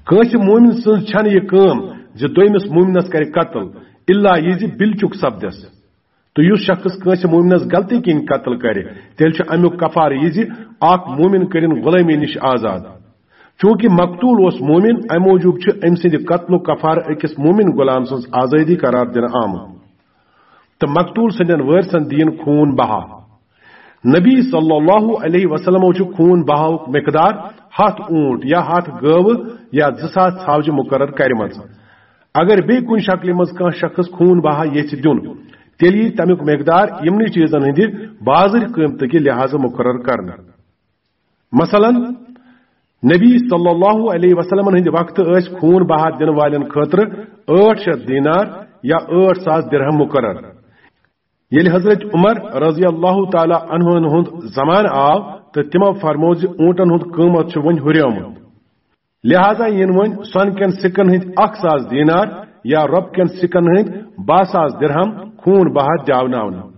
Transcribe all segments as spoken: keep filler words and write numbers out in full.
کٲنٛسہِ مومن سٕنٛز چھنہٕ یہِ کٲم زِ دوٚیمِس مومنس کرِ قتل، الا یہِ زِ بِلچُک سپدٮ۪س۔ تہٕ یُس شخص کٲنٛسہِ مومنس غلطی کِنۍ قتل کرِ، تیٚلہِ چھُ امیُک کفارٕ یہِ زِ اکھ مومن کٔرِن غلٲمی نِش آزاد۔ چونکہ مقتول اوس مومن، امہِ موٗجوٗب چھُ أمۍ سٕنٛدِ قتلُک کفارٕ أکِس مومن غلام سٕنٛز آزٲدی قرار دِنہٕ آمُت۔ تہٕ مقتول سٕنٛدٮ۪ن وٲرثن دِیِن خوٗن بہا۔ نبی صلی اللہ علیہ وسلمو چھُ خوٗن بہاوُک مقدار ہتھ اونٹ یا ہتھ گٲوٕ یا زٕ ساس ژھاوجہِ مقرر کرِمژ۔ اگر بیٚیہِ کُنہِ شکلہِ منٛز کانٛہہ شخص خوٗن بہا یژھِ دیُن، تیٚلہِ یی تمیُک مقدار یِمنٕے چیٖزن ہٕنٛدِ بازٕرۍ قۭمتہٕ کہِ لحاظہٕ مقرر کرنہٕ۔ مثلاً، نبی صلی اللہ علیہ وسلمن ہٕنٛدِ وقتہٕ ٲسۍ خوٗن بہا دِنہٕ والٮ۪ن خٲطرٕ ٲٹھ شیٚتھ دینار یا ٲٹھ ساس درہم مقرر۔ ییٚلہِ حضرت عمر رضی اللہ تعالیٰ عنہن ہُنٛد زمانہٕ آو تہٕ تِمو فرموو زِ اوٗنٹن ہُنٛد قۭمتھ چھُ وۄنۍ ہُریومُت، لہذا یِن وۄنۍ سۄنہٕ کٮ۪ن سِکن ہٕنٛدۍ اکھ ساس دینار یا رۄپہٕ کٮ۪ن سِکن ہٕنٛدۍ باہ ساس درہم خوٗن بہا دیاوناونہٕ۔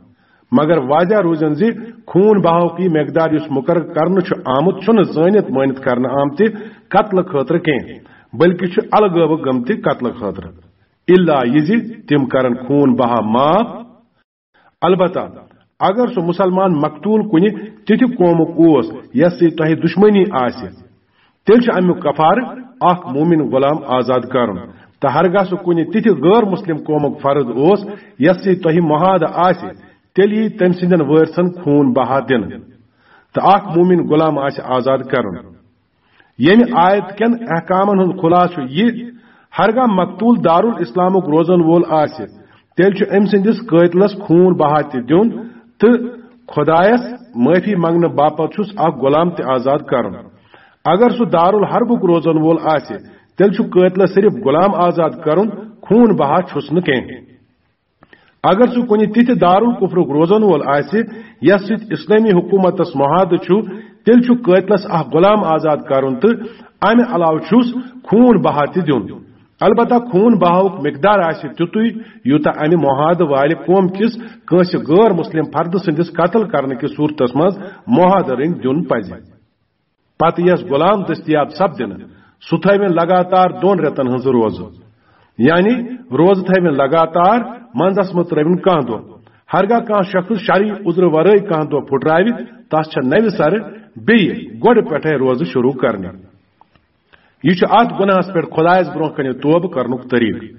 مگر واضح روٗزِن زِ خوٗن بہاوُک یہِ مقدار یُس مقرر کرنہٕ چھُ آمُت، چھُنہٕ زٲنِتھ مٲنِتھ کرنہٕ آمتہِ قتلہٕ خٲطرٕ کینٛہہ، بلکہِ چھُ الگٲوٕ گٔمتہِ قتلہٕ خٲطرٕ۔ الا یہِ زِ تِم کرن خوٗن بہا معاف۔ البتہ اگر سُہ مسلمان مقتول کُنہِ تِتھِ قومُک اوس یس سۭتۍ تۄہہِ دشمنی آسہِ، تیٚلہِ چھُ امیُک کفارٕ اکھ مومن غلام آزاد کرُن۔ تہٕ ہرگاہ سُہ کُنہِ تِتھِ غٲر مسلم قومُک فرد اوس یس سۭتۍ تۄہہِ معاہدٕ آسہِ، تیٚلہِ یی تٔمۍ سٕنٛدٮ۪ن وٲرثن خوٗن بہا دِنہٕ تہٕ اکھ مومن غلام آسہِ آزاد کرُن۔ ییٚمہِ آیت کٮ۪ن احکامن ہُنٛد خلاصہٕ چھُ یہِ، ہرگاہ مقتول دارالاسلامُک روزن وول آسہِ، تیٚلہِ چھُ أمۍ سٕنٛدِس قٲتلس خوٗن بہا تہِ دیُن تہٕ خۄدایس معٲفی منٛگنہٕ باپتھ چھُس اکھ غلام تہِ آزاد کرُن۔ اگر سُہ دارالحربُک روزن وول آسہِ، تیٚلہِ چھُ قٲتلس صرف غلام آزاد کرُن، خوٗن بہا چھُس نہٕ کینٛہہ۔ اگر سُہ کُنہِ تِتھِ دارالکفرُک روزن وول آسہِ، یَس سۭتۍ اسلٲمی حکومتس معاہدٕ چھُ، تیٚلہِ چھُ قٲتلس اکھ غلام آزاد کرُن تہٕ امہِ علاوٕ چھُس خوٗن بہا تہِ دیُن۔ البتہ خوٗن بہاوُک مقدار آسہِ تیُتُے، یوٗتاہ امہِ معاہدٕ والہِ قوم کِس کٲنٛسہِ غٲر مسلم فردٕ سٕنٛدِس قتل کرنہٕ کِس صورتس منٛز معاہدٕ رٔنگۍ دیُن پزِ۔ پتہٕ یس غلام دٔستیاب سپدِنہٕ، سُہ تھٲوِن لگاتار دۄن رٮ۪تن ہٕنٛز روزٕ۔ یعنی روزٕ تھٲوِن لگاتار، منٛزس مہ ترٲوِن کانٛہہ دۄہ۔ ہرگاہ کانٛہہ شخص شرعی عذرٕ ورٲے کانٛہہ دۄہ پھُٹراوِ، تس چھےٚ نوِ سرٕ بیٚیہِ گۄڈٕ پٮ۪ٹھے روزٕ شروع کرنہِ۔ یہِ چھُ اتھ گۄناہس پٮ۪ٹھ خۄدایس برونٛہہ کنہِ توبہٕ کرنُک طریٖقہٕ۔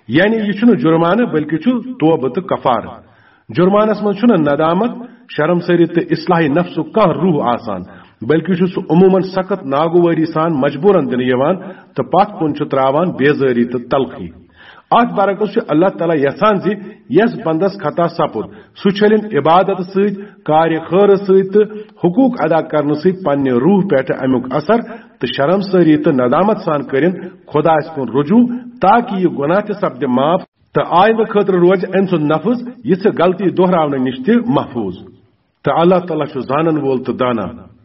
یعنی یہِ چھُنہٕ جُرمانہٕ، بلکہِ چھُ توبہٕ تہٕ کفارٕ۔ جُرمانس منٛز چھُنہٕ ندامت، شرمسٲری تہٕ اصلاح نفسُک کانٛہہ روح آسان، بلکہِ چھُ سُہ عموماً سخت ناگوٲری سان مجبوراً دِنہٕ یِوان تہٕ پتھ کُن چھُ تراوان بیزٲری تہٕ تلخی۔ اتھ برعکس چھُ اللہ تعالیٰ یژھان زِ یس بندس خطا سپُد، سُہ چھٔلِن عبادت سۭتۍ، کارِ خٲرٕ سۭتۍ تہٕ حقوق ادا کرنہٕ سۭتۍ پننہِ روح پٮ۪ٹھ امیُک اثر تہٕ شرمسٲری تہٕ ندامت سان کٔرِن خۄدایس کُن رجوع، تاکہ یہِ گۄناہ تہِ سپدِ معاف تہٕ آیندٕ خٲطرٕ روزِ أمۍ سُنٛد نفس یِژھٕ غلطی دۄہراونہٕ نِش تہِ محفوظ۔ تہٕ اللہ تعالیٰ چھُ زانن وول تہٕ دانا۔